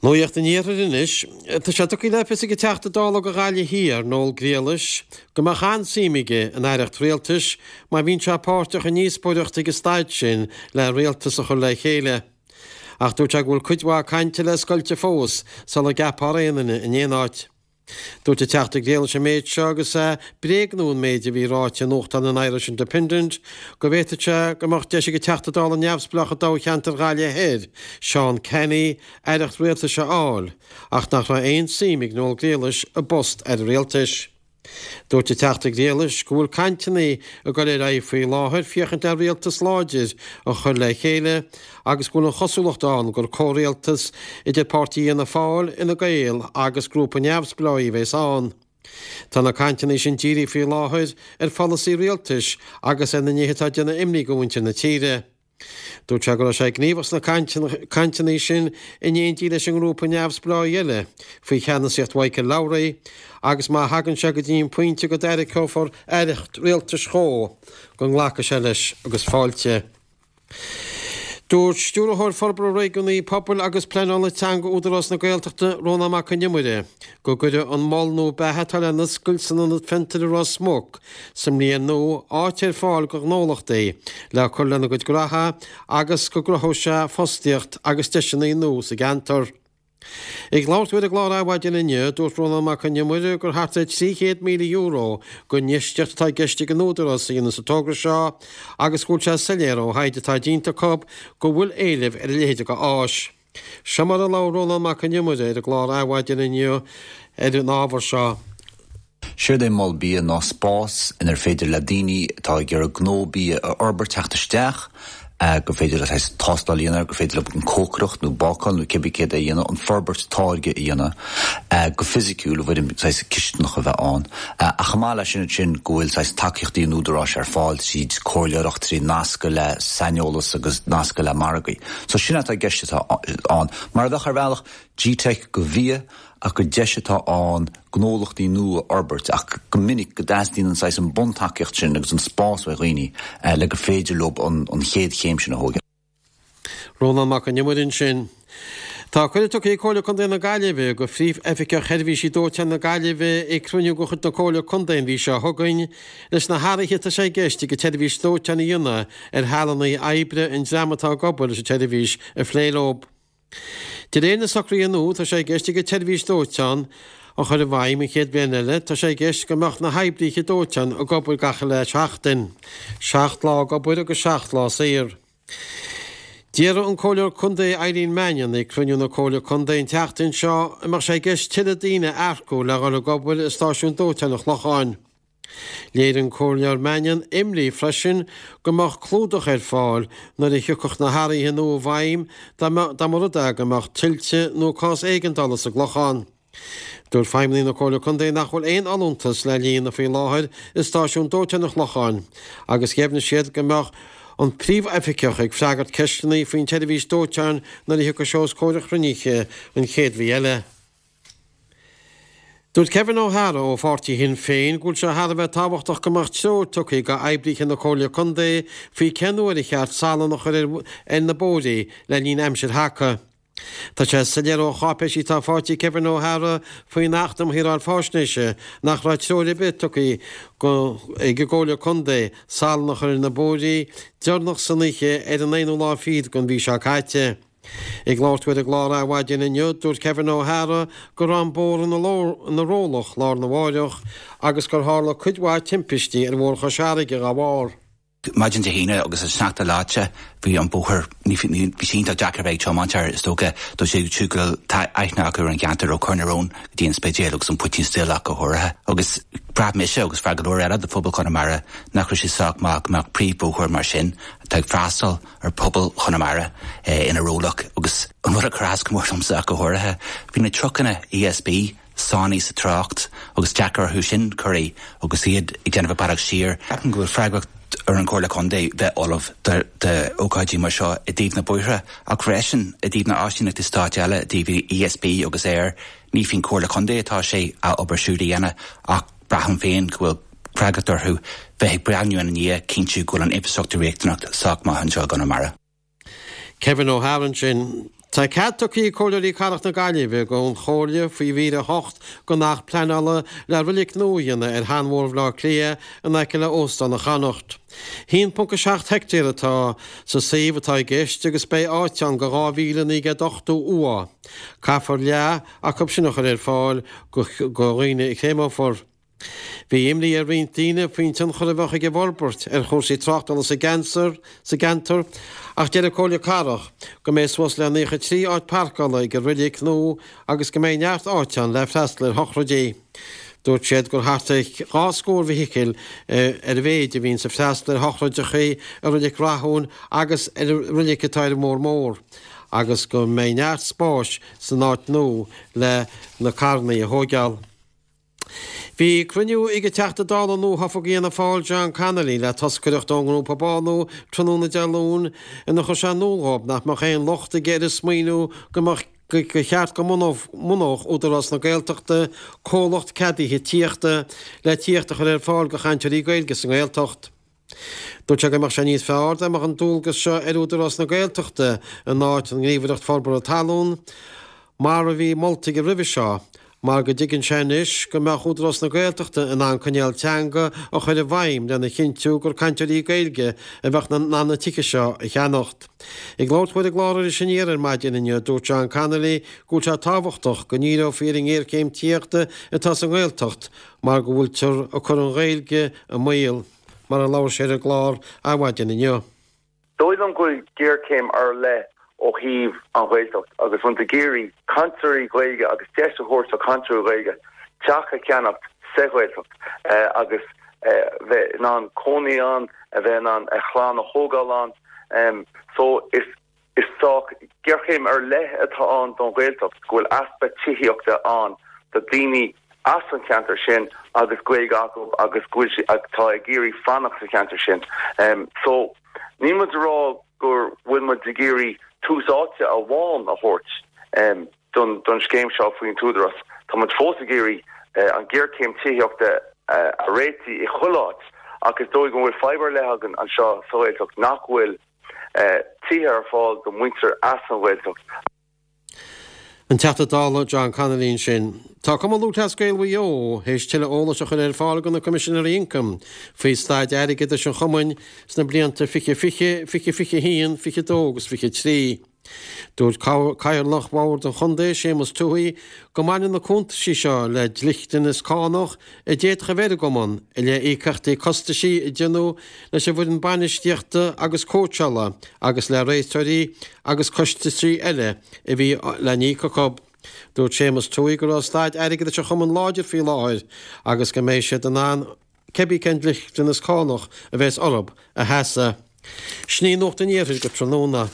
Nuacht an Iarthair anois. Tá sé tugtha le fios ag an Teachta Dála do Ghaillimh Thiar, Noel Grealish, go mbeadh an-suim aige in aireacht rialtais má bhíonn sé páirteach i ndíospóireacht ag an staid sin le rialtas a chur le chéile. Ach dúirt sé go bhfuil cuid mhaith cainte le scoilteadh fós sula gceapfar aon duine in aon áit. Dúirt an Teachta Grealish an méid seo agus é ag bréagnú an méid a bhí ráite i nuachtán an Irish Independent go bhféadfadh sé go mbeadh deis ag an Teachta Dála neamhspleách i dtoghcheantar Ghaillimh Thoir, Seán Canney, aireacht rialtais a fháil, ach nach raibh aon suim ag Noel Grealish i bpost Aire Rialtais. Dúirt an Teachta Grealish go bhfuil cainteanna ag dul ar aghaidh faoi láthair féachaint le rialtas láidir a chur le chéile agus go bhfuil an chosúlacht ann gur comhrialtas idir páirtí Fhianna Fáil, Fhine Gael agus grúpa neamhspleáigh a bheas ann. Tá na cainteanna sin dírithe faoi láthair ar pholasaí rialtais agus ar na nithe atá ag déanamh imní do mhuintir na tíre. Dúirt sé go raibh sé gníomhach sna cainteanna sin in éindí leis an ngrúpa neamhspleáigh eile faoi cheannasaíocht Mhichael Lowry agus má thagann sé go dtí an pointe go dtarraiceofar aireacht rialtais dhó, go nglacfaidh sé leis agus fáilte. Dúirt Stiúrthóir Forbartha Réigiúnaí, Pobail agus Pleanála Teanga Údarás na Gaeltachta, Rónán Mac Con Iomaire, go gcuirfidh an mol nua beatha atá le n-oscailt san Ionad Fiontair i Ros Muc sa mbliain nua áit ar fáil do ghnólachtaí le cur lena gcuid gnoithe agus go gcruthóidh sé fostaíocht agus deiseanna nua sa gceantar. Ag labhairt dó ar an gclár Adhmhaidin inniu, dúirt Rónán Mac Con Iomaire gur thart ar €300,000 den infheistíocht atá i gceist ag an Údarás a dhéanamh sa togra seo agus go bhfuil sé soiléir ó thaighde atá déanta acu go bhfuil éileamh ar a leithéid de áis. Seo mar a labhair Rónán Mac Con Iomaire ar an gclár Adhmhaidin inniu ar an ábhar seo. Séard é Mol Bia ná spás inar féidir le daoine atá ag iarraidh gnó bia a fhorbairt teacht isteach, gur féidir leo saghas tástáil a dhéanamh air, gur féidir leo an cócaireacht nó bácáil nó cibé céard é a dhéanamh, an forbairt táirge a dhéanamh go fisiciúil i bhfoirm saghas cisteanach a bheith ann. Ach chomh maith leis sin ansin go bhfuil saghas tacaíochtaí an Údaráis ar fáil tríd comhairleoireacht, trí nascadh le saineolas agus nascadh le margaí. So sin atá i gceist atá ann. Mar a bheadh ar bhealach GTeic do bhia ach gur deis atá ann gnólachtaí nua a fhorbairt ach go minic go dteastaíonn an saghas an buntacaíocht sin agus an spás ó dhaoine le gur féidir leo an chéad chéim sin a thógáil. Rónán Mac Con Iomaire ansin. Tá cuireadh tugtha ag Comhairle Contae na Gaillimhe do Phríomh-Oifigeach Sheirbhísí Dóiteáin na Gaillimhe ag cruinniú de chuid na Comhairle Contae an mhí seo chugainn leis na hathruithe atá sé i gceist ag an tseirbhís dóiteáin a dhéanamh ar shealanna oibre an dream atá ag obair leis an tseirbhís a phlé leo. De réir na socruithe nua, tá sé i gceist ag an tseirbhís dóiteáin a chur i bhfeidhm an chéad bhliain eile, tá sé i gceist go mbeadh na hoibríthe dóiteáin ag obair gach uile sheachtain, 7 lá ag obair agus 7 lá saor. D'iarr an Comhairleoir Contae Eileen Mannion ag cruinniú na Comhairle Contae an tseachtain seo an mbeadh sé i gceist tuilleadh daoine a earcú le dhul ag obair i stáisiún dóiteáin an Chlocháin. Léirigh an Comhairleoir Mannion imní freisin go mbeadh clúdach ar fáil nuair a thiocfadh na hathruithe nua i bhfeidhm dá mba rud é go mbeadh tuilte nó cás éigeandála sa gClochán. Dúirt feidhmeannaigh na Comhairle Contae nach bhfuil aon fholúntas le líonadh faoi láthair i stáisiún dóiteáin an Chlocháin agus dheimhnigh siad go mbeadh an príomhoifigeach ag freagairt ceisteanna faoin tseirbhís dóiteáin nuair a thiocfaidh sé os comhair an chruinnithe an chéad mhí eile. Dúirt Kevin O'Hara ó pháirtí Shinn Féin go bhfuil sé thar a bheith tábhachtach go mbeadh treoir tugtha go oibríthe na Comhairle Contae faoi cén uair a cheart salann a chur ar na bóithre le linn aimsir thaca. Tá sé soiléir ó cháipéisí atá faighte ag Kevin O'Hara faoin Acht um Shaoráil Faisnéise nach raibh treoir ar bith tugtha ag an gComhairle Contae salann a chur ar na bóithre deireanach san oíche ar an aonú lá fichead den mhí seo caite. Ag labhairt dó ar an gclár Adhmhaidin inniu, dúirt Kevin O'Hara go raibh an bóthar ina rollach lá arna mháireach agus gur tharla cuid mhaith timpistí ar Bhóthar Chois Fharraige dá bharr. Maidin Dé hAoine agus an sneachta leáite, bhí an bóthar, ní, bhí sé iontach deacair a bheith ag tiomáint air, is dócha, dóibh siúd go bhfuil tá aithne acu ar an gceantar ó Chorr na Rón go dtí an Spidéal agus an Poitín Stil ach go háirithe. Agus bhraith mise agus bhraith go leor eile de phobal Chonamara nach raibh sé sách maith go mbeadh príomhbhóthar mar sin atá ag freastal ar phobal Chonamara ina rollach agus an rud a chuir as go mór domsa ach go háirithe, bhí na trucanna ESB sáinnithe sa trácht agus deacair orthu sin corraí agus iad ag déanamh a bealach siar. Ceapaim go bhfuil freagracht ar an Chomhairle Contae bheith ullamh d'ócáidí mar seo i dtaobh na bóithre ach freisin i dtaobh na áisíneachtaí stáit eile, i dtaobh ESB agus aer. Ní faoin Chomhairle Contae atá sé a obair siúd a dhéanamh ach braithim féin go bhfuil freagracht orthu bheith ag breathnú ina ndiaidh, cinntiú go bhfuil an infrastruchtúr riachtanach sách maith anseo i gConamara. Kevin O'Hara ansin. Tá cead tugtha ag Comhairleoirí Cathrach na Gaillimhe don Chomhairle faoi mhír 8 den Acht Pleanála le roilic nua a dhéanamh ar sheanbhóthar Bhaile Átha Cliath in aice le Óstán an Chonnacht. 1.7 heictéar atá sa suíomh atá i gceist agus beidh áit ann do 2,980 uaigh. Caithfear leath acu sin a chur ar fáil do dhaoine a chréamófar. Bhí imní ar roinnt daoine faoin tionchar a bheadh ag an bhforbairt ar chúrsaí tráchtála sa gceantar ach deir an Comhairle Cathrach go mbeidh suas le 93 áit parcála ag an roilic nua agus go mbeidh neart áite ann le freastal ar shochraidí. Dúirt siad gur thart ar dhá scór feithicil ar a mhéid a bhíonns ag freastal ar shochraideacha i Roilic Rathúin agus ar an roilic atá ar an mBóthar Mór agus go mbeidh neart spáis san áit nua le na carrannaí a thóigeáil. Bhí cruinniú ag an Teachta Dála nuathofa d'Fhianna Fáil John Connolly le toscaireacht ón ngrúpa Bánú tráthnóna Dé Luain inar chuir sé in iúl dhóibh nach mbeadh aon locht aige ar an smaoineamh go mbeadh gur cheart go mbunódh Údarás na Gaeltachta comhlacht ceadaithe tithíochta le tithíocht a chur ar fáil do chainteoirí Gaeilge sa nGaeltacht. Dúirt sé go mbeadh sé níos fearr dá mbeadh an dualgas seo ar Údarás na Gaeltachta in áit an nGníomhaireacht Forbartha Talún, mar a bhí molta aige roimhe seo, mar go dtuigeann sé anois go mbeadh Údarás na Gaeltachta in ann coinníoll teanga a chur i bhfeidhm lena chinntiú gur cainteoirí Gaeilge a bheadh in ann na tithe seo a cheannacht. Ag labhairt dó ar an gclár Iris Aniar ar maidin inniu, dúirt John Connolly go bhfuil sé tábhachtach go ndíreofaí ar an ngéarchéim tithíochta atá sa nGaeltacht mar go bhfuiltear ag cur an Ghaeilge i mbaol, mar a labhair sé ar an gclár Adhmhaidin inniu. Dóigh liom go bhfuil géarchéim ar leith ó thaobh an Ghaeltacht agus muid ag iarraidh cainteoirí Gaeilge agus deis a thabhairt do chainteoirí Gaeilge teach a cheannacht sa Ghaeltacht agus bheith in ann cónaí ann, a bheith in ann a chlann a thógáil ann. So is Is sách géarchéim ar leith atá ann don Ghaeltacht go bhfuil easpa tithíochta ann do daoine as an cheantar sin agus Gaeilge acu agus go bhfuil siad atá ag iarraidh fanacht sa cheantar sin. So níl muid ag rá go bhfuil muid ag iarraidh tús áite amháin a thabhairt don don scéim seo faoin t-údarás. Tá muid fós ag iarraidh an géarchéim tithíochta a réitigh i chuile áit ach is dóigh go bhfuil fadhb ar leith againn anseo sa Ghaeltacht nach bhfuil tithe ar fáil do mhuintir as an Ghaeltacht. An Teachta Dála John Connolly ansin. Tá Cumann Lúthchleas Gael Mhaigh Eo théis tuilleadh eolais a chur ar fáil do na Coimisinéirí Ioncaim faoi staid airgeadais an chumainn sna blianta 2020, 2021, 22 agus 23. Dúirt Cathaoirleach Bhord an Chontae, Séamus Tuohy, go mbaineann na cuntaisí seo le dliteanas cánach a d'fhéadfadh a bheith ar an gcumann i leith íocaíochtaí costaisí a déanadh leis an bhfoireann bainistíochta agus cóitseála agus le réiteoirí agus costaisí eile a bhí le n-íoc acu. Dúirt Séamus Tuohy go raibh staid airgeadais an chumainn láidir faoi láthair agus go mbeidh siad in ann cibé cén dliteanas cánach a bheas orthu a sheasamh. Sin í Nuacht an Iarthair go tráthnóna.